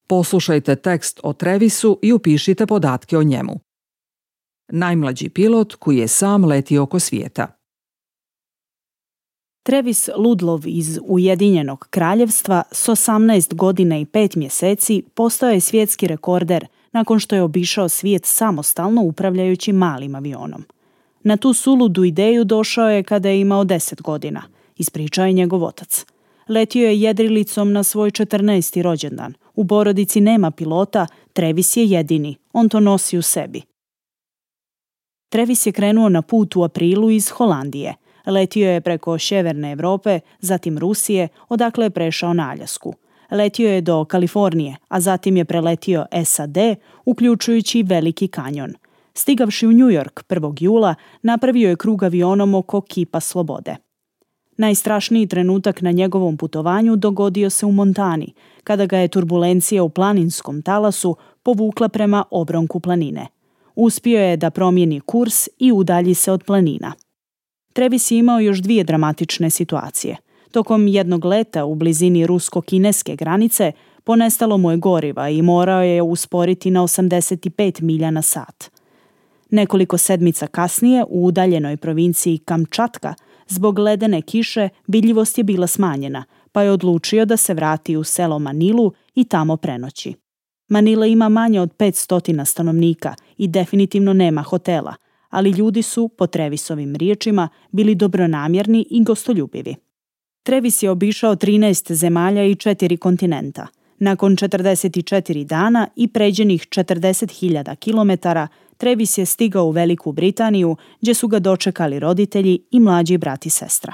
Poslušajte tekst o Trevisu i upišite podatke o njemu. Najmlađi pilot koji je sam letio oko svijeta. Travis Ludlov iz Ujedinjenog kraljevstva s 18 godina i 5 mjeseci postao je svjetski rekorder nakon što je obišao svijet samostalno upravljajući malim avionom. Na tu suludu ideju došao je kada je imao 10 godina, ispričao je njegov otac. Letio je jedrilicom na svoj 14. rođendan. U porodici nema pilota, Travis je jedini, on to nosi u sebi. Travis je krenuo na put u aprilu iz Holandije. Letio je preko sjeverne Europe, zatim Rusije, odakle je prešao na Aljasku. Letio je do Kalifornije, a zatim je preletio SAD, uključujući Veliki kanjon. Stigavši u New York 1. jula, napravio je krug avionom oko Kipa Slobode. Najstrašniji trenutak na njegovom putovanju dogodio se u Montani, kada ga je turbulencija u planinskom talasu povukla prema obronku planine. Uspio je da promijeni kurs i udalji se od planina. Travis je imao još 2 dramatične situacije. Tokom jednog leta u blizini rusko-kineske granice ponestalo mu je goriva i morao je usporiti na 85 milja na sat. Nekoliko sedmica kasnije u udaljenoj provinciji Kamčatka zbog ledene kiše vidljivost je bila smanjena, pa je odlučio da se vrati u selo Manilu i tamo prenoći. Manila ima manje od 500 stanovnika i definitivno nema hotela, ali ljudi su, po Travisovim riječima, bili dobronamjerni i gostoljubivi. Travis je obišao 13 zemalja i 4 kontinenta. Nakon 44 dana i pređenih 40.000 kilometara, Travis je stigao u Veliku Britaniju, gdje su ga dočekali roditelji i mlađi brat i sestra.